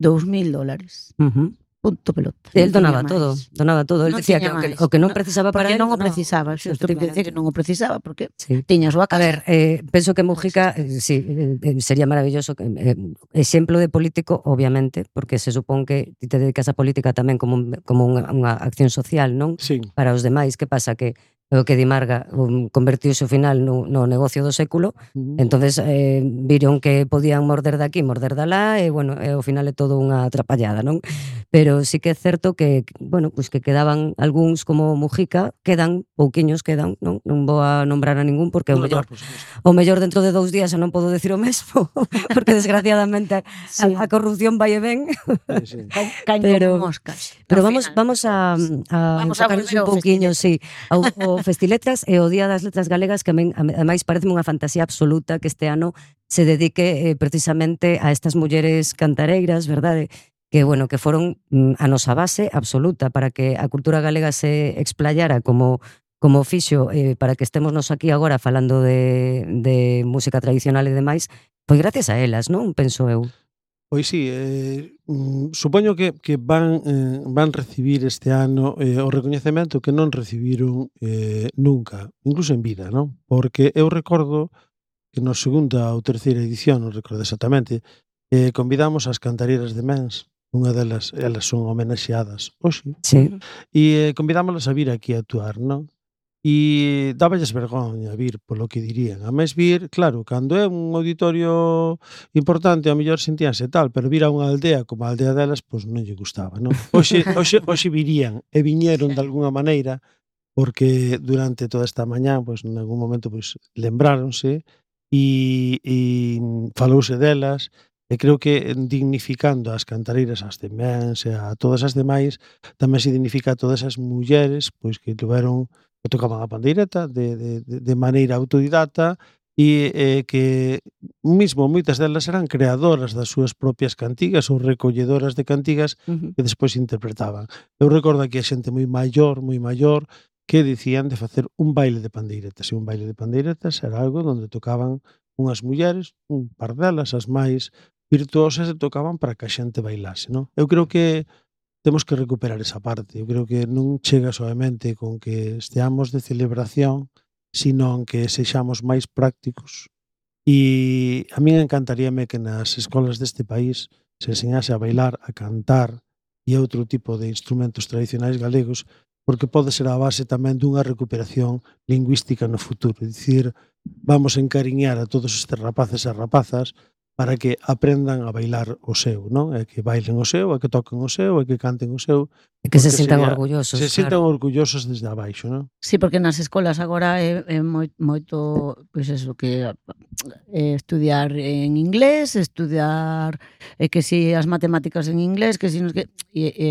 dous mil dólares. Ujú. Punto pelota. El Non tiña donaba máis. todo, donaba todo. El Non decía que tiña o que, máis. o que non No, precisaba para Porque él, non o no. precisaba, xusto que decir que non o precisaba, porque Sí. tiña a súa A casa. ver, eh, penso que Mujica, eh, sí, eh, eh, sería maravilloso, que, eh, exemplo de político, obviamente, porque se supón que ti te dedicas a política tamén como, un, como unha, unha acción social, non? Sí, Para os demais, que pasa? Que o que Di Marga um, convertiuse ao final no, no negocio do século, uh-huh. entonces eh, viron que podían morder de aquí, morder de lá, e, bueno, e ao final é todo unha atrapallada, non? Pero sí que é certo que, bueno, pues que quedaban algúns como Mujica, quedan, pouquiños quedan, non? Non vou a nombrar a ningún, porque o No, no, mellor por suposto. o mellor dentro de dous días xa non podo decir o mesmo, porque desgraciadamente Sí. a, a corrupción vai e ven. Sí, sí. Caen pero- como moscas. Pero Ao vamos final. vamos a, a Vamos a enfocarnos volver un ao pouquiño, sí, ao, ao Festiletras e o Día das Letras Galegas, que a min, ademais parece unha fantasía absoluta que este ano se dedique eh, precisamente a estas mulleres cantareiras, verdade? Que, bueno, que foron mm, a nosa base absoluta para que a cultura galega se explayara como como fixo eh, para que estemos nos aquí agora falando de, de música tradicional e demais, pois gracias a elas, non? Penso eu. Pois sí, eh, mm, supoño que, que van, eh, van recibir este ano eh, o recoñecemento que non recibiron eh, nunca, incluso en vida, non? Porque eu recordo que na segunda ou terceira edición, non recordo exactamente, eh, convidamos as cantareiras de Mens, unha delas, elas son homenaxeadas hoxe, Sí. e eh, convidámolas a vir aquí a actuar, non? E dáballes vergoña vir polo que dirían. A máis vir, claro, cando é un auditorio importante, ao mellor sentíanse tal, pero vir a unha aldea como a aldea delas, pois non lle gustaba, non? Hoxe, hoxe, hoxe virían e viñeron de algunha maneira porque durante toda esta mañá, pois en algún momento pois lembráronse e, e falouse delas e creo que dignificando as cantareiras, as de Mens e a todas as demais, tamén se dignifica a todas as mulleres pois que tiveron que tocaban a pandeireta de, de, de maneira autodidata e eh, que mismo moitas delas eran creadoras das súas propias cantigas ou recolledoras de cantigas Uh-huh. que despois interpretaban. Eu recordo aquí a xente moi maior, moi maior, que dicían de facer un baile de pandeiretas. E un baile de pandeiretas era algo onde tocaban unhas mulleres, un par delas, as máis virtuosas, e tocaban para que a xente bailase, non? Eu creo que temos que recuperar esa parte. Eu creo que non chega soamente con que esteamos de celebración, sino que sexamos máis prácticos. E a min encantaríame que nas escolas deste país se enseñase a bailar, a cantar e outro tipo de instrumentos tradicionais galegos, porque pode ser a base tamén dunha recuperación lingüística no futuro. É dicir, vamos a encariñar a todos estes rapaces e rapazas para que aprendan a bailar o seu, non? E que bailen o seu, e que toquen o seu, e que canten o seu. E que se porque sintan sería- orgullosos, Se sintan claro. orgullosos desde abaixo, non? Sí, porque nas escolas agora é, é moi, moito, pois eso, que é estudiar en inglés, estudiar e que si as matemáticas en inglés, que si nos que e, e,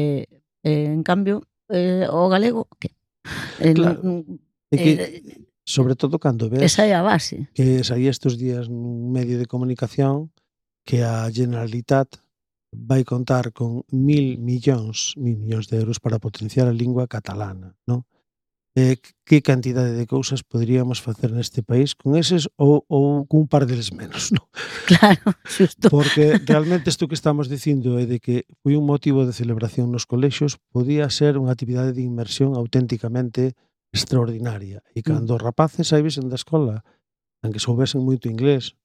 e en cambio eh, o galego que eh, Claro. non- E que, eh, sobre todo cando ves esa é a base. que saía estes días nun medio de comunicación que a Generalitat vai contar con mil millóns, mil millóns de euros para potenciar a lingua catalana, non? Eh, que cantidade de cousas poderíamos facer neste país con eses ou, ou cun par deles menos, non? Claro, xusto. Porque realmente isto que estamos dicindo é de que foi un motivo de celebración nos colexios, podía ser unha actividade de inmersión auténticamente extraordinaria. E cando os rapaces saíbesen da escola, aunque soubesen moito inglés,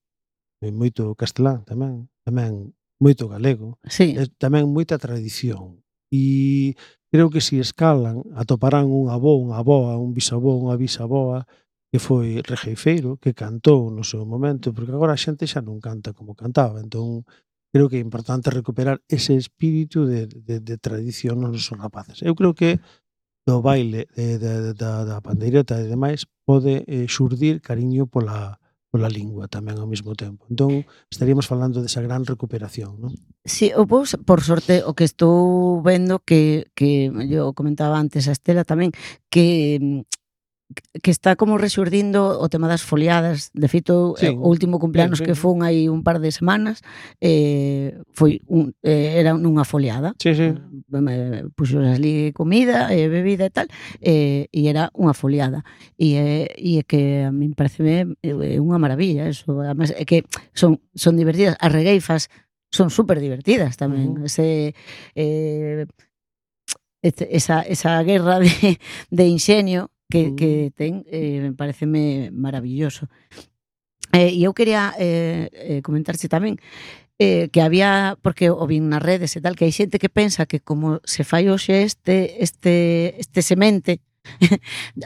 e moito castelán tamén, tamén moito galego, Sí, e tamén moita tradición. E creo que se escalan, atoparán un avó, unha avoa, un bisavó, unha bisaboa, que foi regueifeiro, que cantou no seu momento, porque agora a xente xa non canta como cantaba. Entón, creo que é importante recuperar ese espírito de, de, de tradición nos nosos rapaces. Eu creo que do baile de, de, da, da pandeireta e demais pode eh, xurdir cariño pola, pola lingua tamén ao mesmo tempo. Entón, estaríamos falando desa gran recuperación, non? sí, eu pois, por sorte, o que estou vendo que, que yo comentaba antes a Estela tamén, que mm, que está como resurdindo o tema das foliadas. De feito, Sí, o último cumpleanos ben, ben. que fun hai un par de semanas eh, foi un, eh, era nunha foliada. Sí, sí. Me puxo ali comida e bebida e tal, e, e era unha foliada. E, é- e é que a min parece é unha maravilla eso. Además, é que son, son divertidas. As regueifas son super divertidas tamén. Ujú. Ese, eh, este, esa, esa guerra de, de inxenio que, Ujú. que ten, eh, pareceme maravilloso. Eh, e eu quería eh, eh, comentarse tamén eh, que había, porque o vin nas redes e tal, que hai xente que pensa que como se fai hoxe este, este, este semente,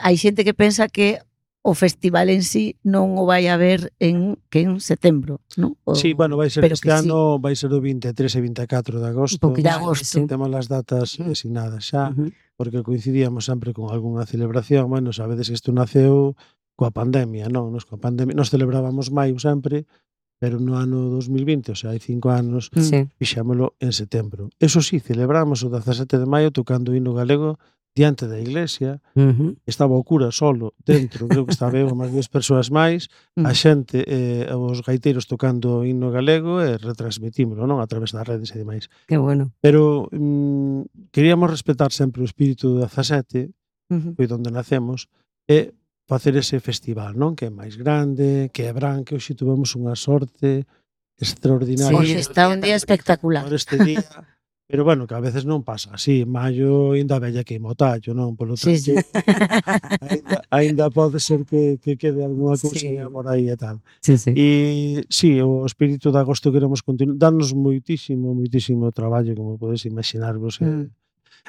hai xente que pensa que o festival en sí non o vai a ver en que en setembro, non? O, Sí, bueno, vai ser pero este que sí. ano, vai ser o vinte e tres e vinte e catro de agosto. Un poquinho de Vale, agosto. sí. Temos as datas asignadas xa, Ujú. porque coincidíamos sempre con algunha celebración. Bueno, sabedes que isto naceu coa pandemia, non? Nos, coa pandemia, nos celebrábamos maio sempre, pero no ano dos mil vinte, o sea, hai cinco anos, Sí. fixámolo en setembro. Eso sí, celebramos o dezasete de maio tocando o hino galego diante da iglesia, Uh-huh. estaba o cura solo dentro, creo que estaba eu máis dúas persoas máis, a xente, eh, os gaiteiros tocando o himno galego e retransmitímoslo, non, a través das redes e demais. Que bueno. Pero mm, queríamos respetar sempre o espírito do dezasete, Uh-huh. foi onde nacemos, e facer ese festival, non? Que é máis grande, que é Brán, que hoxe tuvemos unha sorte extraordinaria. Sí, Hoxe está un día espectacular. Por este día, pero bueno, que a veces non pasa así. Maio ainda bella que o tallo, non? Polo Sí, sí. ainda, ainda pode ser que, que quede algunha Sí. cousinha por aí e tal. Sí, sí. E sí, o espírito de agosto queremos continuar. Darnos moitísimo, moitísimo traballo, como podes imaginarvos. Mm.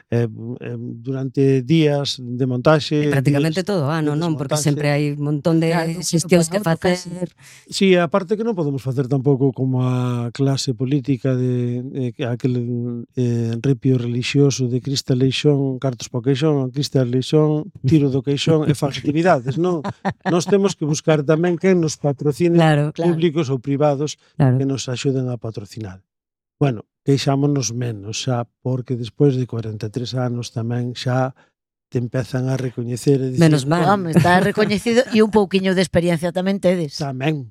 Eh, eh, durante días de montaxe. E prácticamente días todo o ano, de non? Porque desmontaxe. sempre hai un montón de Claro, xestións que bueno, pues, facer. Sí, aparte que non podemos facer tampouco como a clase política de eh, aquel eh, ripio religioso de Crista Leixón, cartos po queixón, Crista Leixón, tiro do queixón e fan actividades, non? Nós temos que buscar tamén quen nos patrocine, Claro, Claro. públicos ou privados, claro. que nos axuden a patrocinar. Bueno, queixámonos menos xa, porque despois de cuarenta e tres anos tamén xa te empezan a recoñecer e dicir, Menos mal. Home, está recoñecido e un pouquiño de experiencia tamén tedes. tamén.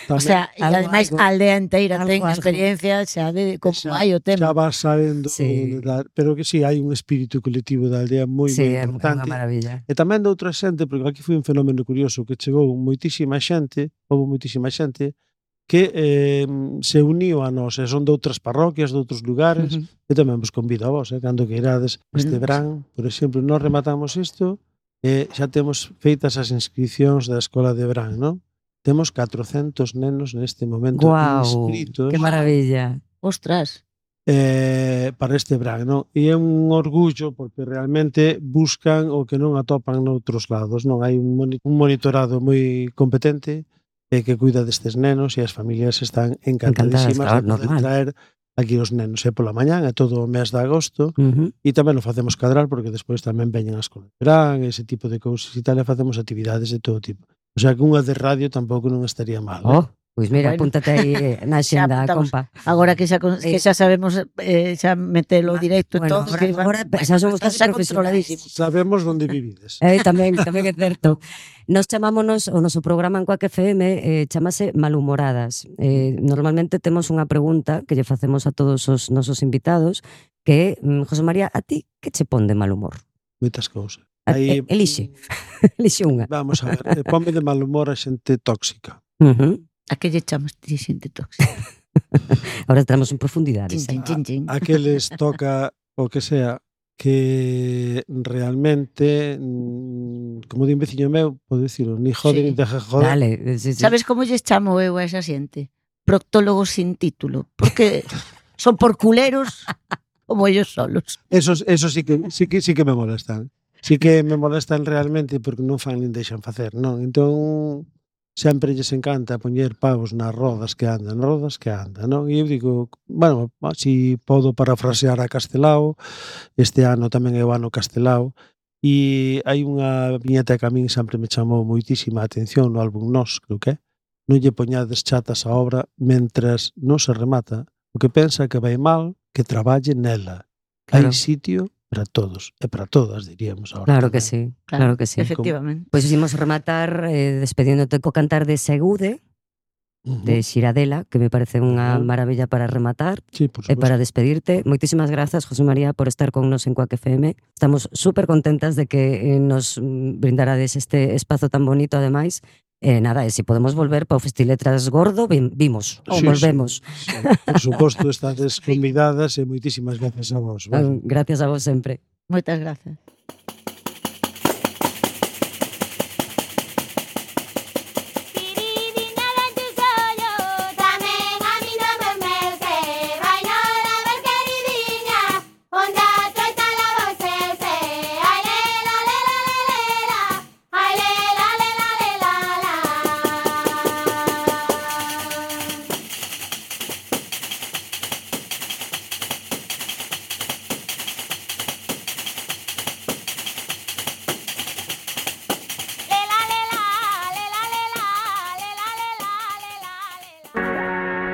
O sea, e Algo, ademais algo. a aldea inteira Algo, ten algo. experiencia xa de como Xa- hai o xa tema. vas sabendo, Sí. da- pero que sí, hai un espírito colectivo da aldea moi, Sí, moi é unha importante. maravilla. E tamén de outra xente, porque aquí foi un fenómeno curioso que chegou moitísima xente, houve moitísima xente que eh, se uniu a nós, e son de outras parroquias, de outros lugares, Uh-huh. e tamén vos convido a vos, eh, cando que irades este Bueno. verán, por exemplo, nós rematamos isto e xa temos feitas as inscripcións da Escola de Brán, non? Temos catrocentos nenos neste momento Guau, inscritos que maravilla. Ostras. eh, para este Brán, non? E é un orgullo porque realmente buscan o que non atopan noutros lados, non? Hai un, moni un monitorado moi competente e que cuida destes nenos e as familias están encantadísimas claro, de poder normal. traer aquí os nenos. E pola mañán, é todo o mes de agosto, Uh-huh. e tamén o facemos cadrar porque despois tamén veñen as escola de verán, ese tipo de cousas e tal, e facemos actividades de todo tipo. O sea que unha de radio tampouco non estaría mal. eh? Oh, pois mira, Bueno. apúntate aí eh, na Xa xenda, apuntamos. compa. Agora que xa, con- que xa sabemos eh, xa metelo directo e Bueno, todo, agora- que van- agora xa somos está casi xa profesionais. controladísimo. Sabemos onde vivides. Eh, tamén, tamén é certo. Nos chamámonos, o noso programa en Coac F M eh, chamase Malhumoradas. Eh, normalmente temos unha pregunta que lle facemos a todos os nosos invitados, que é, mm, José María, a ti que che pon de mal humor? Moitas cousas. A- Aí, eh, elixe. Elixe unha. Vamos a ver, eh, ponme de mal humor a xente tóxica. Uh-huh. A que lle chamas ti xente tóxica? Ahora entramos en profundidades. Chin, eh. chin, chin, chin. Aqueles toca o que sea que realmente, mm, como di un veciño meu, podo dicirlo, ni jode Sí. ni deja joder. Dale, eh, sí, sí. Sabes como lles chamo eu a esa xente? Proctólogos sin título, porque son por culeros como ellos solos. Esos, eso sí que, sí que sí que me molestan. Sí que me molestan realmente porque non fan nin deixan facer, non? Entón, sempre lles encanta poñer pavos nas rodas que andan, rodas que andan, non? E eu digo, bueno, si podo parafrasear a Castelao, este ano tamén é o ano Castelao, e hai unha viñeta que a min sempre me chamou moitísima a atención no álbum Nos, creo que é. Non lle poñades chatas a obra mentras non se remata. O que pensa que vai mal, que traballe nela. Hai Claro. sitio para todos e para todas, diríamos ahora. Claro que tamén. sí, claro que sí. Efectivamente. Pois imos rematar eh, despediéndote co cantar de Segude, Ujú. de Xiradela, que me parece unha Ujú. maravilla para rematar. Sí, por E suposto. para despedirte, moitísimas grazas, José María, por estar con nos en Coac F M. Estamos súper contentas de que eh, nos mm, brindarades este espazo tan bonito, ademais. E nada, e se podemos volver para o Festiletras Gordo, vim- vimos, ou Sí, volvemos. Sí, sí. Por suposto, estades convidadas e moitísimas gracias a vos. Ah, Vale. Gracias a vos sempre. Moitas gracias.